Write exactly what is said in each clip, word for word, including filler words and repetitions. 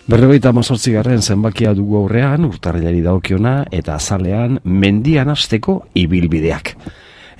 Berrogeita hamazortzigarren zenbakia dugu aurrean, urtarrilari dagokiona, eta azalean mendian hasteko ibilbideak.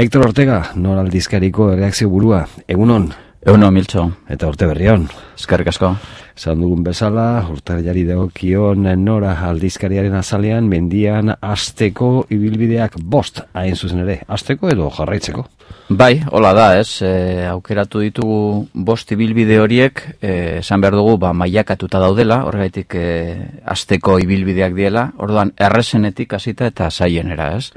Hector Ortega, Nor aldizkariko erreakzio burua, egunon? Egunon, Miltxo. Eta urte berrion. Eskerrik asko. Esan dugun bezala, urtarrilari dagokion Nora aldizkariaren azalean mendian hasteko ibilbideak bost, hain zuzen ere, hasteko edo jarraitzeko? Bai, hola da, ez, e, aukeratu ditugu bost ibilbide horiek, e, esan behar dugu, ba, mailakatuta daudela, horregaitik e, hasteko ibilbideak diela, orduan errezenetik hasita eta zaienera, ez?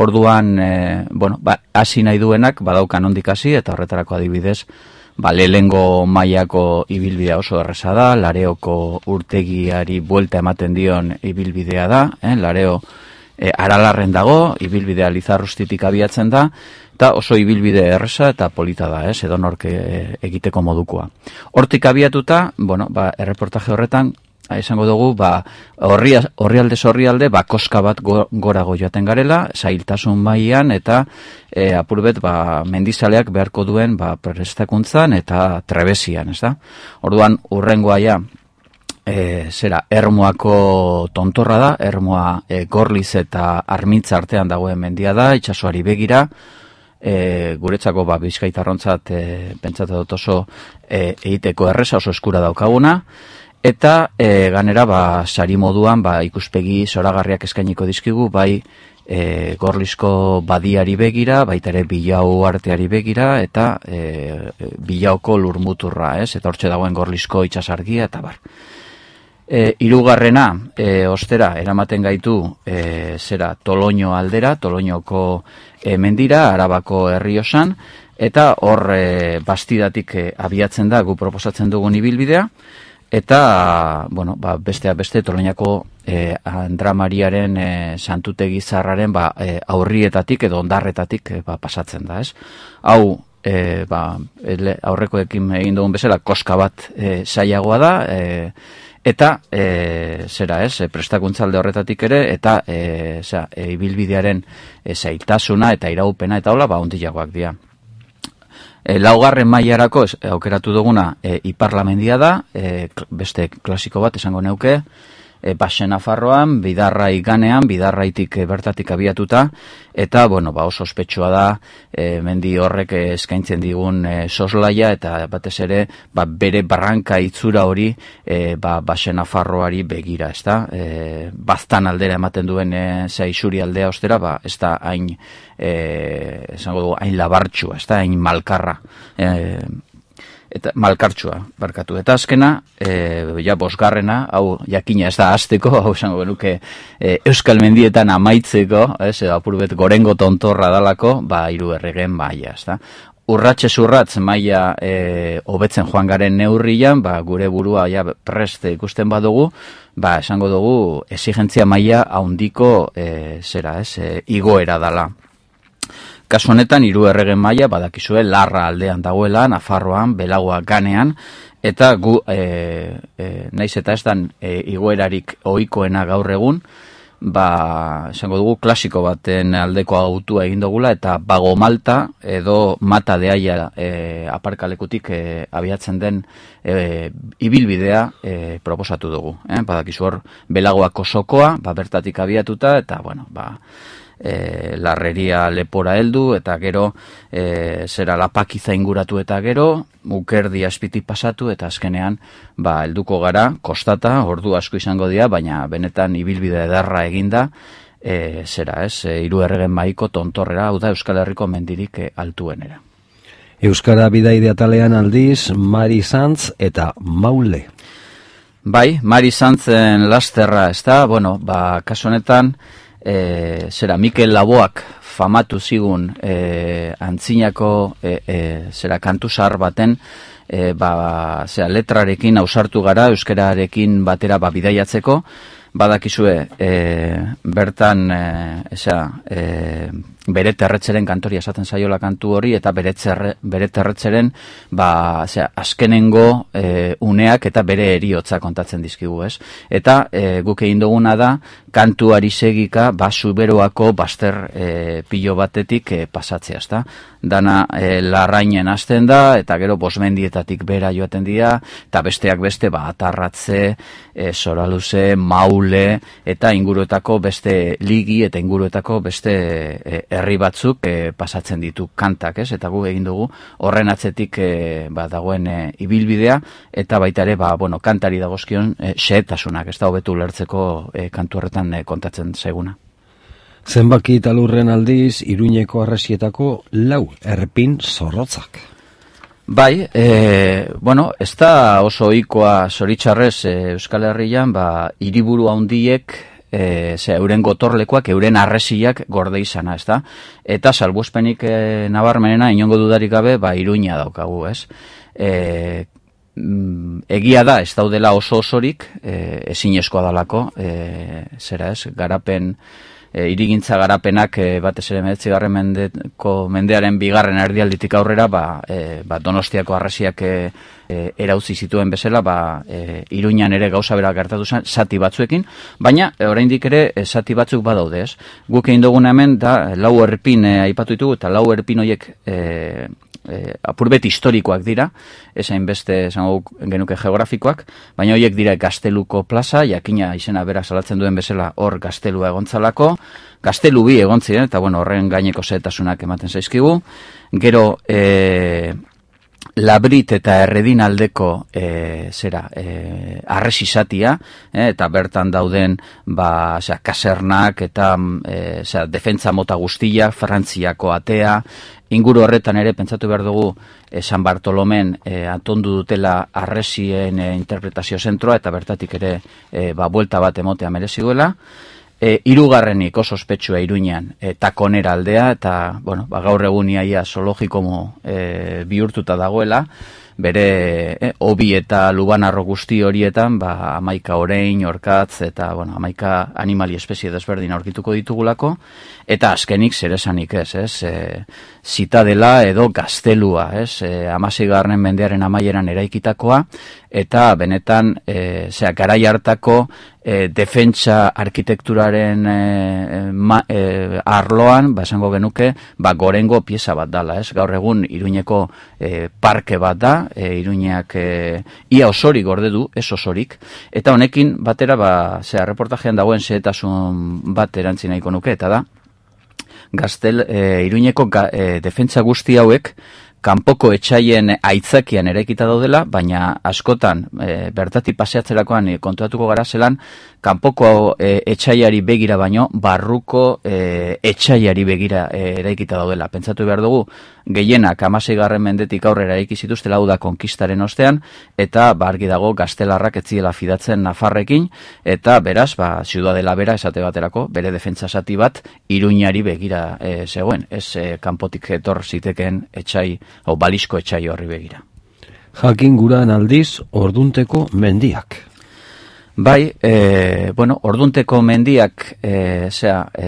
Orduan, e, bueno, ba, hasi nahi duenak, badaukan ondik hasi, eta horretarako adibidez, ba, lehengo mailako ibilbidea oso erreza da, Lareoko urtegiari buelta ematen dion ibilbidea da, eh? Lareo e, Aralarren dago, ibilbidea Lizarrustitik abiatzen da, eta oso ibilbide erreza eta polita da, ez, edo nork egiteko modukoa. Hortik abiatuta, bueno, ba, erreportaje horretan, esango dugu, ba, orrialde zorrialde, ba, koska bat gorago joaten garela, zailtasun mailan eta e, apurbet, ba, mendizaleak beharko duen, ba, prestakuntzan eta trebesian, ez da? Orduan, urrengoa ja, e, zera, Ermuako tontorra da, Ermua e, Gorliz eta Armitza artean dagoen mendia da, itsasoari begira, E, guretzako ba, bizkaitarrontzat e, pentsatu dut oso e, egiteko erreza, oso eskura daukaguna, eta e, ganera ba, sari moduan ba, ikuspegi zoragarriak eskainiko dizkigu, bai e, Gorlizko badiari begira, baita ere Bilau arteari begira, eta e, Bilauko lurmuturra, ez? Eta hortxe dagoen Gorlizko itsasargia, eta bar. E, irugarrena, e, ostera, eramaten gaitu e, zera Toloño aldera, Toloñoko e, mendira, Arabako Herriosan, eta hor e, Bastidatik e, abiatzen da gu proposatzen dugun ibilbidea, eta bueno, ba, besteak beste Toloñako e, Andra Mariaren e, santutegi zarraren ba, e, aurrietatik edo ondarretatik e, ba, pasatzen da, ez? Hau, e, ba, aurrekoekin egin dugun bezala, koska bat e, zailagoa da, e, eta e, zera ez, e, prestakuntzalde horretatik ere, eta e, zera, e, ibilbidearen e, zailtasuna eta iraupena eta hola, ba, ondilagoak dira. E, laugarren mailarako ez, aukeratu duguna e, Iparlamendia da, e, beste klasiko bat esango neuke, e, Baxe Nafarroan, Bidarrai ganean, Bidarraitik e, bertatik abiatuta, eta bueno, ba, oso ospetsua da e, mendi horrek e, eskaintzen digun e, soslaia, eta batez ere ba, bere barranka itzura hori e, ba, Baxe Nafarroari begira, ez da? E, baztan aldera ematen duen e, zaizuri aldea ostera, ba, ez da hain e, esango dugu, hain labartxua, ez da, hain malkarra. E, eta malkartsua, barkatu. Eta azkena, e, ja bosgarrena, hau jakina ez da hasteko, hau esango genuke e, Euskal Mendietan amaitzeko, ez, apurbet gorengo tontorra dalako, ba, hiru erregen maila, ez da. Urratxe zurratz maila e, hobetzen joan garen neurrian, ba, gure burua ja prest ikusten badugu, ba, esango dugu exigentzia maila handiko e, zera, ez, e, igoera dala. Kasu honetan, hiru erregen maila badakizue Larra aldean dagoela, Nafarroan, Belagoa ganean, eta gu, e, e, naiz eta ez dan e, igoerarik ohikoena gaur egun, ba, esango dugu, klasiko baten aldeko autua egin dugula, eta Bago Malta edo Mata de Aia e, aparkalekutik e, abiatzen den e, ibilbidea e, proposatu dugu. Eh? Badakizu hor, Belagoako sokoa, ba, bertatik abiatuta, eta, bueno, ba, E, Larreria lepora heldu, eta gero e, zera Lapakiza inguratu eta gero Ukerdi azpitik pasatu, eta azkenean ba, helduko gara, kostata, ordu asko izango dira, baina benetan ibilbide ederra eginda, e, zera ez, e, hiru erregen mahaiko tontorrera, hau da Euskal Herriko mendirik e, altuenera. Euskara bidaide atalean aldiz, Mari Santz eta Maule. Bai, Mari Santzen lasterra, ez da, bueno, ba, kasu honetan, E, zera, Mikel Laboak famatu zigun e, antzinako e, e, zera, kantu zahar baten e, ba, zera, letrarekin ausartu gara, euskararekin batera ba, bidaiatzeko, badakizue e, bertan e, eza, e, bere terretzeren kantoria esaten zaiola kantu hori, eta bere, txerre, bere terretzeren ba, zera, azkenengo e, uneak eta bere eriotza kontatzen dizkigu, ez? Eta e, guk egin duguna da, kantuari segika, ba, Zuberoako bazter e, pilo batetik e, pasatzea, ezta? Dana e, Larrainen hasten da, eta gero Bosmendietatik bera joaten dira, eta besteak beste, ba, Atarratze, e, Soraluze, Maule, eta inguruetako beste Ligi, eta inguruetako beste e, herri batzuk e, pasatzen ditu kantak, ez? Eta gu egin dugu horren atzetik e, ba, dagoen e, ibilbidea, eta baita ere, ba, bueno, kantari dagozkion e, xehetasunak, ez da hobetu lertzeko e, kantu horretan e, kontatzen zaiguna. Zenbaki talurren aldiz, Iruñeko arresietako lau erpin zorrotzak. Bai, e, bueno, ez da oso ohikoa zoritxarrez e, Euskal Herrian, ba, hiriburu handiek, e, ze, euren gotorlekoak, euren arresiak gorde izana, ez da? Eta salbuespenik e, nabarmenena, inongo dudarik gabe, ba, Iruña daukagu, ez? E, egia da, ez daudela oso osorik, e, ezinezkoa dalako, e, zera ez, garapen, E, irigintza garapenak e, batez ere hemeretzigarren mendeko mendearen bigarren erdialditik aurrera, ba, e, ba, Donostiako arresiak e, e, erauzi zituen bezala, ba, e, Iruñan ere gauza bera gertatu zen, zati batzuekin, baina e, oraindik ere e, zati batzuk badaude, ez? Guk egin duguna hemen da lau erpin e, aipatu ditugu, eta lau erpin horiek e, E, apurbet historikoak dira, esain beste esango genuke geografikoak, baina horiek dira Gazteluko plaza, jakina izena bera salatzen duen bezala hor Gaztelua egontzalako, Gaztelu bi egontziren, eta bueno, horren gaineko zehetasunak ematen zaizkigu, gero e, Labrit eta Erredin aldeko e, zera, e, arresizatia, e, eta bertan dauden ba, zera, kasernak eta e, zera, defentza mota guztia, Frantziako atea, inguru horretan ere pentsatu behar dugu e, San Bartolomen e, atondu dutela arresien e, interpretazio zentroa, eta bertatik ere e, ba, buelta bat emotea merezi duela. E, irugarrenik oso ospetsua Iruñan e, Takonera aldea, eta bueno, ba, gaur egun iaia zoologiko e, bihurtuta dagoela, bere eh, obi eta lubanarro guzti horietan, ba, amaika orein, orkatz, eta bueno, amaika animali espezie desberdin aurkituko ditugulako, eta azkenik zeresanik ez, ez, e, zitadela edo gaztelua, ez, e, hamaseigarren mendearen amaieran eraikitakoa, eta benetan, e, zera, garai hartako e, defentsa arkitekturaren e, ma, e, arloan, ba, esango genuke, ba, gorengo pieza bat dala, ez, gaur egun Iruñeko e, parke bat da, e, Iruñak e, ia osorik gorde du, ez osorik, eta honekin batera, ba, zera, reportajean dagoen zehetasun bat erantzi nahiko nuke, eta da, Gaztel, e, Iruñeko ga, e, defentsa guzti hauek, kanpoko etxaien aitzakian eraikita daudela, baina askotan e, bertatik paseatzerakoan e, kontuatuko gara zelan, kanpoko e, etxaiari begira baino, barruko e, etxaiari begira e, eraikita daudela. Pentsatu behar dugu, gehienak hamaseigarren mendetik aurrera eraiki zituztela, hau da konkistaren ostean, eta bargi dago gaztelarrak etziela fidatzen Nafarrekin, eta beraz, ba, ziudadela bera esate baterako, bere defentsa zati bat, Iruñari begira e, zegoen, ez e, kanpotik etor ziteken etxai, o balizko etxai horri begira. Jakin guran aldiz, Ordunteko mendiak. Bai, e, bueno, Ordunteko mendiak, e, zera, e,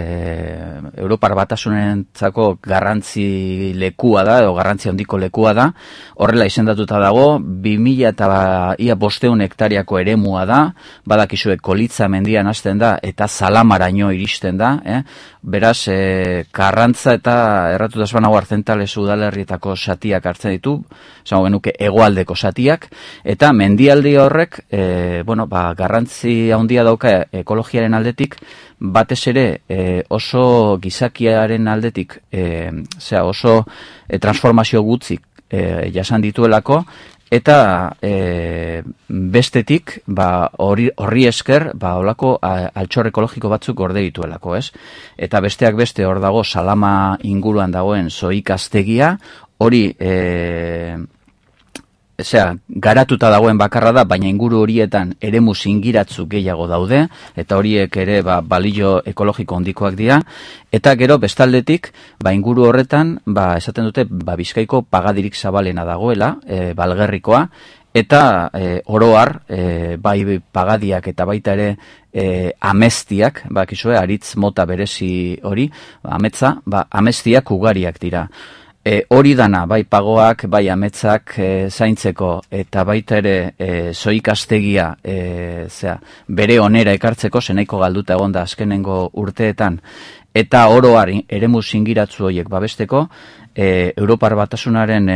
Europar Batasunentzako garrantzi lekua da, edo garrantzi handiko lekua da, horrela izendatuta dago, bi mila eta ia bosteun hektariako eremua da, badakizue Kolitza mendian hasten da, eta Zalamaraino iristen da, eh? Beraz, e, Karrantza eta erratuta esbanago Artzentales udalerrietako satiak hartzen ditu, esango genuke hegoaldeko satiak, eta mendialdi horrek, e, bueno, ba, garrantzi handia dauka ekologiaren aldetik, batez ere e, oso gizakiaren aldetik, e, zera, oso e, transformazio gutzik e, jasan dituelako, eta e, bestetik, ba, horri, horri esker, ba, olako altxor ekologiko batzuk gorde dituelako, ez? Eta besteak beste hor dago Salama inguruan dagoen zoikaztegia, hori e, Osea, garatuta dagoen bakarra da, baina inguru horietan eremu zingiratzu gehiago daude, eta horiek ere ba, balio ekologiko handikoak dira, eta gero bestaldetik, ba, inguru horretan, ba, esaten dute, ba, Bizkaiko pagadirik zabalena dagoela, e, Balgerrikoa, eta e, oroar, e, bai pagadiak eta baita ere e, ameztiak, bakizue, aritz mota berezi hori, ametza, ba, ameztiak ugariak dira. E, hori dana, bai pagoak, bai ametzak e, zaintzeko, eta baita ere e, zoikastegia e, zera, bere onera ekartzeko, zenaiko galduta egon da azkenengo urteetan, eta oroari eremu singiratzu horiek babesteko, e, Europar Batasunaren e,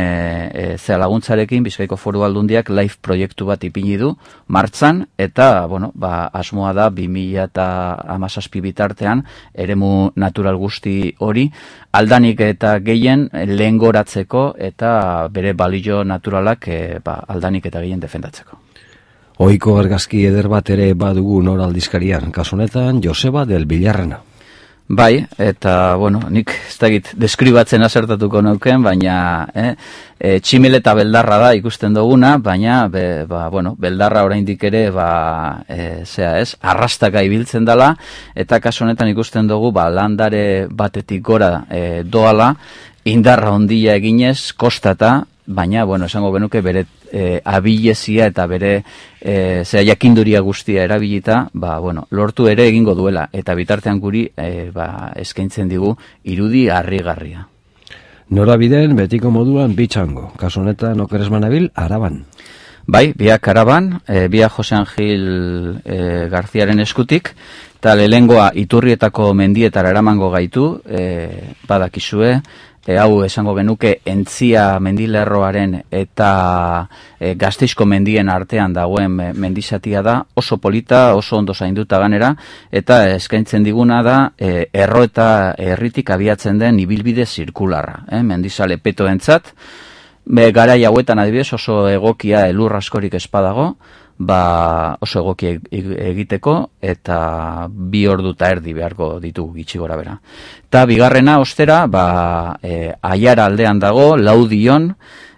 e, zera laguntzarekin Bizkaiko Foru Aldundiak live proiektu bat ipini du martzan, eta bueno, ba, asmoa da bi mila hamazazpi bitartean eremu natural guzti hori aldanik eta gehien lehengoratzeko eta bere balio naturalak e, ba, aldanik eta gehien defendatzeko. Ohiko argazki eder bat ere badugu Nor aldizkarian, kasu honetan Joseba del Villarrena. Bai, eta, bueno, nik ez dakit deskribatzen asertatuko neuken, baina eh, e, tximel eta beldarra da ikusten duguna, baina, be, ba, bueno, beldarra oraindik ere, ba, e, zea ez, arrastaka ibiltzen dela, eta kasu honetan ikusten dugu, ba, landare batetik gora e, doala, indarra ondia eginez, kostata, baina, bueno, esango benuke bere e, abilezia eta bere e, zera jakinduria guztia erabilita, ba, bueno, lortu ere egingo duela, eta bitartean guri e, ba, eskaintzen digu irudi harrigarria. Norabideen betiko moduan bitxango, kasu honetan okeres manabil, Araban. Bai, biak Araban, e, biak Jose Angil e, Garziaren eskutik, eta lehengoa iturrietako mendietara eramango gaitu, e, badakizue, E, hau esango genuke entzia mendilerroaren eta e, Gasteizko mendien artean dagoen mendizatia da, oso polita, oso ondo zainduta ganera, eta eskaintzen diguna da e, erro eta herritik abiatzen den ibilbide zirkularra, eh? Mendizale petoentzat, be, garai hauetan adibidez oso egokia elur askorik espadago, ba oso egoki egiteko eta bi ordu eta erdi beharko ditugu gitxi gora bera. Eta bigarrena ostera, ba, e, Aiara aldean dago, Laudion,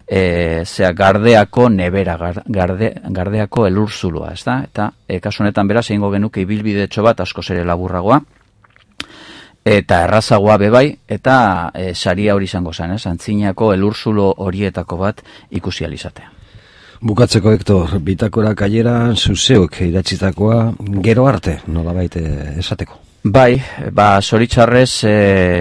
e, zera Gardeako nebera, garde, Gardeako elurzuloa, ez da? Eta e, kasu honetan beraz egingo genuke ibilbidetxo bat askoz ere laburragoa, eta errazagoa bebai, eta e, saria hori izango zen, ez? Antzinako elurzulo horietako bat ikusi alizatea. Bukatzeko, Hector, bitakora kaieran zuzeuk idatzitakoa gero arte, nolabait esateko. Bai, ba, zoritxarrez e,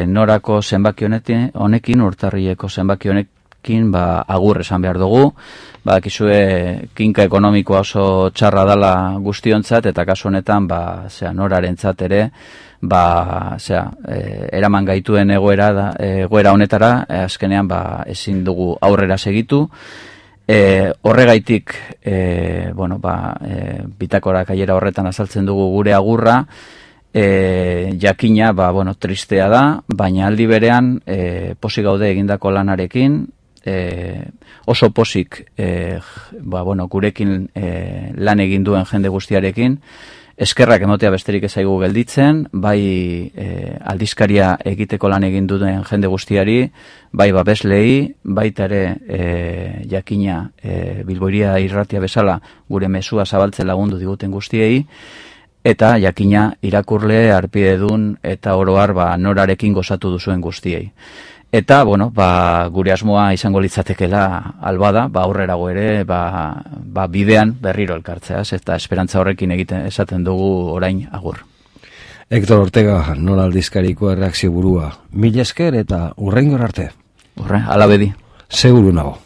norako zenbaki honetin, honekin, urtarrieko zenbaki honekin, ba, agur esan behar dugu, ba, kizue kinka ekonomikoa oso txarra dala guztiontzat, eta kasu honetan, ba, zera, norarentzat ere, ba, zera, e, eraman gaituen egoera, da, egoera honetara, e, azkenean, ba, ezin dugu aurrera segitu. E, horregaitik e, bueno, ba, e, bitakora kaiera horretan azaltzen dugu gure agurra, e, jakina ba, bueno, tristea da, baina aldi berean e, posik gaude egindako lanarekin, e, oso posik e, ba, bueno, gurekin e, lan egin duen jende guztiarekin, eskerrak emotea besterik ezaigu gelditzen, bai e, aldizkaria egiteko lan egin duten jende guztiari, bai babeslei, baita ere e, jakina e, Bilboiria irratia bezala gure mezua zabaltzen lagundu diguten guztiei, eta jakina irakurle, arpidedun eta oroar ba, norarekin gozatu duzuen guztiei. Eta, bueno, ba, gure asmoa izango litzatekela albada, ba, aurrerago ere, ba, ba, bidean berriro elkartzeaz, eta esperantza horrekin egiten esaten dugu orain agur. Hector Ortega, Nor aldizkariko erreakzio burua. Mila esker eta hurrengor arte. Hurre, alabedi. Seguru nago.